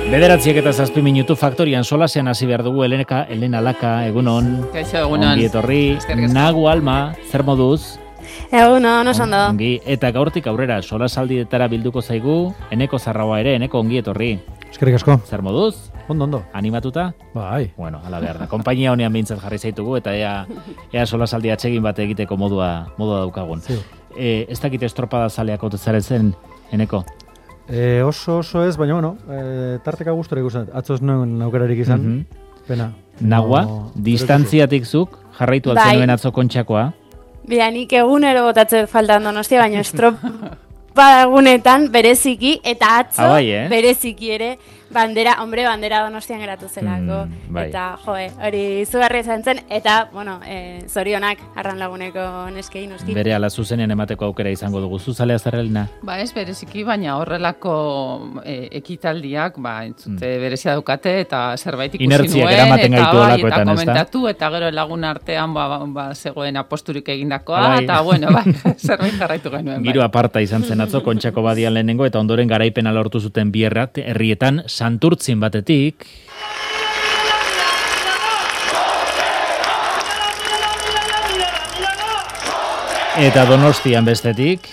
9:07 Faktorian solasean hasi behar dugu. Elena Laka, egunon. Kaixo, egunon. Ongi etorri. Nagu Alma, zer moduz? Egunon, oso ondo. Ongi, eta gaurtik aurrera solasaldietara bilduko zaigu, Eneko Zarraua ere, Eneko ongi etorri. Eskerrik asko. Zer moduz? Ondo. Animatuta? Bai. Bueno, ala behar da. Konpainia honean behintzat jarri zaitugu, eta ea solasaldi atsegin bat egiteko modua daukagun. Sí. Ez dakit estropada zaleak otezarezen, Eneko? Oso ez, baina bueno, tarteka gustora ikusten. Atzo ez nuen aukerarik izan. Pena. Nagua, distantziatik zuk, jarraitu altzen atzo Kontxakoa. Bia, nik egunero botatzen faltan Donostia, baina estropada egunetan bereziki, eta atzo bereziki ere, bandera Donostian geratu zelako. Eta, hori izugarri izan zen, eta, bueno, zorionak arran laguneko neskei, noski. Bere ala zuzenean emateko aukera izango dugu. Zuzalea zerrelina? Ez bereziki, baina horrelako ekitaldiak, entzute berezia daukate, eta zerbait ikusi nuen, inertziak eramaten gaitu olakoetan, eta komentatu, eta gero lagun artean zegoen aposturik egindakoa, eta, bueno, zerbait jarraitu genuen. Giro aparta izan zen atzo, Kontxako badian lehenengo, eta ondoren garaipena lortu zuten bi herrietan, Santurtzin batetik, eta Donostian bestetik,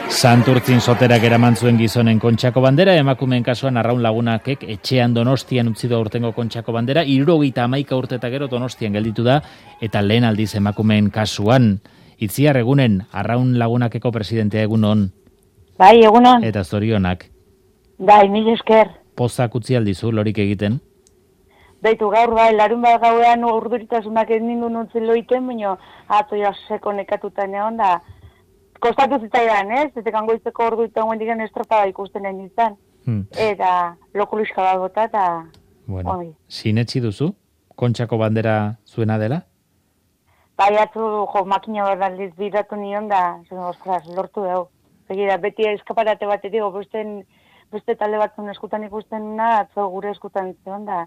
Santurtzin soterak eraman zuen gizonen Kontxako bandera, emakumeen kasuan Arraun Lagunakek etxean Donostian utzi du aurtengo Kontxako bandera, 71 urte eta gero Donostian gelditu da, eta lehen aldiz emakumeen kasuan. Itziar, egunen, Arraun Lagunakeko presidentea egunon. Bai, egunon. Eta zorionak. Bai, mil esker. Pozak utzi aldizu, lorik egiten? Baitu gaur, larun bat gauean urduritasunak egin du nuntzen loiten, baina atzo jaseko nekatuta neon da. Kostatu zitzaidan, ez? Eta kangoizteko orduritan guen digan estropada ikusten egin izan. Eta lokuluska bat bota eta... Bueno, sinetsi duzu? Kontxako bandera zuena dela? Bai, atzu, makina bat aldiz bidatu nion da, lortu dugu. Begira, beti eskaparate batetik, beste talde batzun eskutan ikusten na, atzo gure eskutan zion da.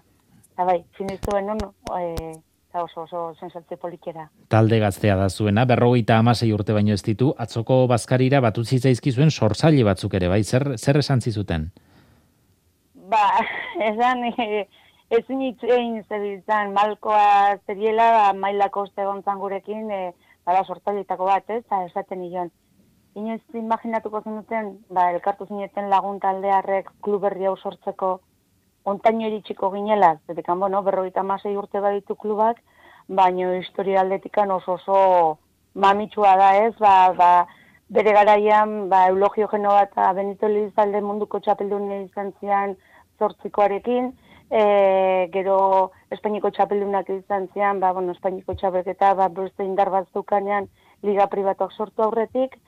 Eta bai, sinistu benun, eta oso sensatze polikera. Talde gaztea da zuena, 56 urte baino ez ditu, atzoko bazkarira batu zitzaizkizuen sortzaile batzuk ere, bai, zer esan zizuten? Esan... Ezin itzein zebiltzan, malkoa zeriela, mailako zegontzan gurekin, sortzaileetako bat, eta esaten nion. Inoiz imaginatuko zenuten, elkartu zineten lagun taldearrek klub berri hau sortzeko ontaino iritsiko ginela, zetekan, 56 urte baditu klubak, baina historia aldetikan oso mamitsua da ez, bere garaian, Eulogio Genova eta Benito Elizalde munduko txapeldun izan zian zortzikoarekin, gero Espainiko txapeldunak izan zian, Espainiko txapelketa, beste indar bat zukanean liga pribatuak sortu aurretik,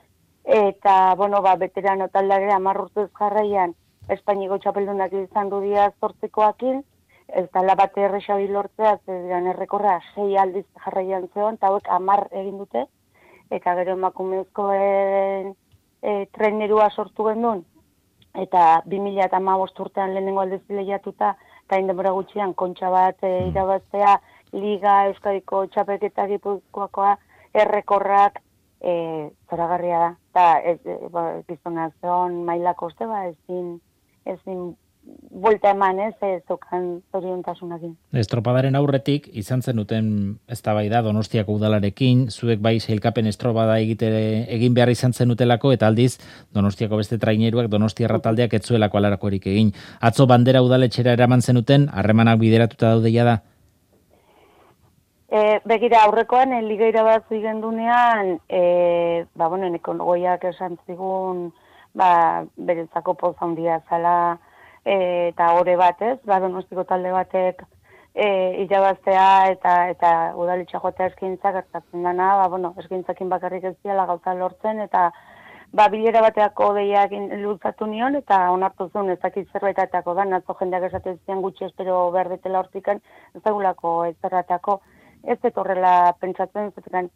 eta, veterano taldeak 10 urtez jarraian Espainiko txapeldunak izan dudia zortzikoakin, eta bat errexabi lortzea, zedian errekorra 6 aldiz jarraian zeon, eta hauek 10 egin dute, eta gero emakumezkoen trenerua sortu gendun, eta 2015 urtean lehenengo aldez lehiatuta, eta indemora gutxian kontxa bat irabaztea, Liga, Euskadiko txapelketa Gipuzkoakoa, errekorrak zoragarria da. Eta gizonazion mailako uste, ezin buelta eman zokan zoriontasunakin. Estropadaren aurretik, izan zenuten eztabaida Donostiako udalarekin, zuek bai sailkapen estropada egin behar izan zenutelako, eta aldiz Donostiako beste traineruak Donostiarra taldeak ez zuelako alarakorik egin. Atzo bandera udaletxera eraman zenuten, harremanak bideratuta daudeia da? Begira, aurrekoan, liga irabazi gendunean, Eneko goiak esan zigun, berentzako poz handia zala, eta ore batez, Donostiko talde batek irabaztea eta udaletxa joatea eskintzak gertatzen dana, eskintzakin bakarrik ez diala gauza lortzen, eta bilera bateako deiak luzatu nion, eta onartu zuen ezakit zerbaitatako da, atzo jendeak esaten zian gutxi espero behar betela hortikan, ez dagulako ez zerratako, ez horrela pentsatzen, zetekan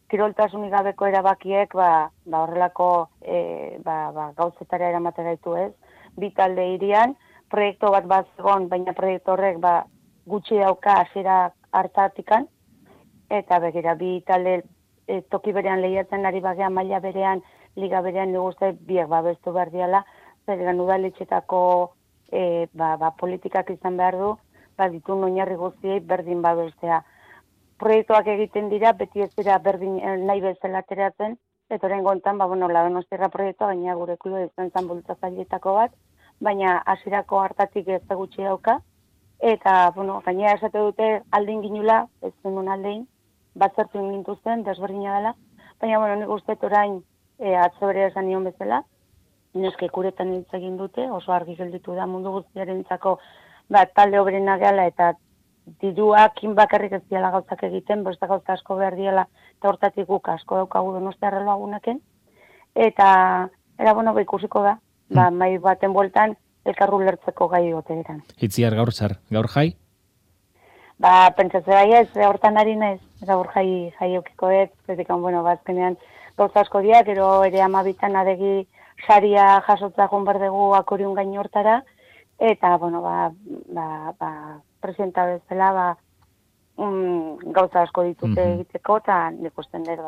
kiroltasunik gabeko erabakiek, horrelako gauzetara eramate gaitu ez, bi talde irian, proiektu bat bazegon, baina proiektu horrek gutxi dauka hasiera hartatikan, eta begira, bi talde toki berean lehiatzen ari bagean maila berean liga berean niguzte biek babestu behar diala, zergan udaletxetako politikak izan behar du, ditu oinarri guztiei berdin babestea. Proiektuak egiten dira, beti ez dira berdin nahi bezala ateratzen, eta orain gontan, la Donostiarra proiektua, baina gure kluba izan zen bultzatzaileetako bat, baina hasierako hartatik ez da gutxi dauka, eta, gainera esate dute aldin ginula, ez zenun aldein, batzertu gintuzten, desberdina dela, baina, nik uste orain atzo bere esan nion bezala, neske kuretan hitz egin dute, oso argi gelditu da mundu guztiarentzako talde obrena gehala eta diruak bakarrik ez diala gauzak egiten, beste gauza asko behar diala, eta hortatik guk asko daukagu Donostiarra lagunekin, eta ikusiko da, mai baten bueltan elkarru lertzeko gai gote eran. Itziar gaur jai? Pentsatze bai ez, hortan ari naiz, gaur jai eukiko ez, azkenean gauza asko diak, gero ere 12 adegi saria jasotza joan behar dugu akorion gain hortara, eta, presidenta bezala, gauza asko ditute egiteko, eta nik usten dut,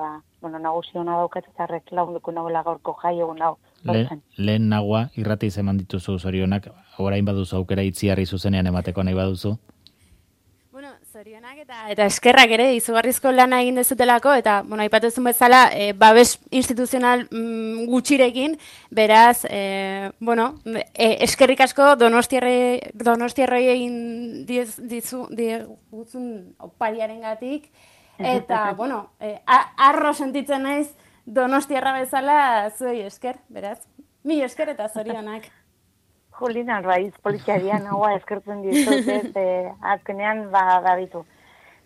nagusi hona daukat, eta arrek lagunduko nagoela gaurko jai egun hau. Lehen nagua, irrati zeman dituzu zorionak, orain baduzu aukera Itziarri zuzenean emateko nahi baduzu? Zorionak eta eskerrak ere izugarrizko lana egin dezutelako, eta, aipatuzun bezala, babes instituzional gutxirekin, beraz, eskerrik asko Donostiarroi egin diguzun opariaren gatik, eta, arro sentitzen naiz Donostiarra bezala zuei esker, beraz, mil esker eta zorionak. Julina, raiz politiarian haua eskertzen ditut, azkenean ditu.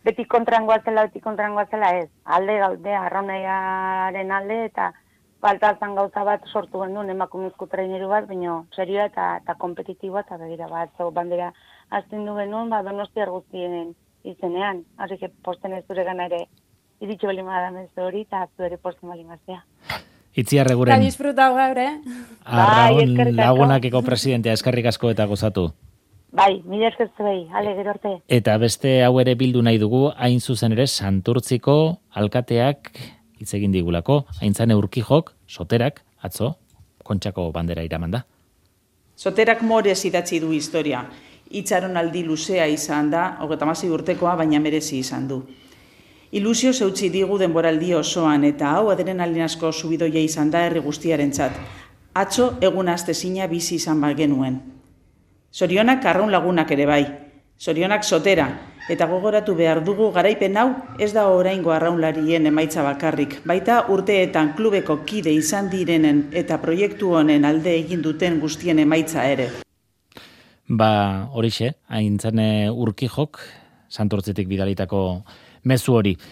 Beti kontrangoa zela ez. Alde gaude, arraunaiaren alde, eta faltazan gauza bat sortu gendun emakumezko traineru bat, baina serioa eta kompetitiboa, eta begira bandera azten du genuen, Donostiar guztien izenean. Así que posten ez dure gana ere iritsi bali madan ez hori, eta zu ere posten bali maztea. Itziar eguren. Eta disfrutau gaur, Arraun lagunakeko presidentea eskerrik asko eta gozatu. Bai, mila eskertzu behi, gero arte. Eta beste hau ere bildu nahi dugu, hain zuzen ere Santurtziko alkateak hitz egin digulako, Aintzane Urkijok, Soterak, atzo, Kontxako bandera iraman da. Soterak morez idatzi du historia. Itxaronaldi luzea izan da, 36 urtekoa, baina merezi izan du. Ilusio zeutzi digu denboraldi osoan, eta hau adrenalin asko subidoia izan da herri guztiarentzat. Atzo egun astezina bizi izan genuen. Zorionak arraun lagunak ere bai. Zorionak Sotera, eta gogoratu behar dugu garaipen hau ez da oraingo arraunlarien emaitza bakarrik. Baita urteetan klubeko kide izan direnen eta proiektu honen alde egin duten guztien emaitza ere. Horixe, Aintzane Urkijok, Santurtzitik bidalitako mezu hori.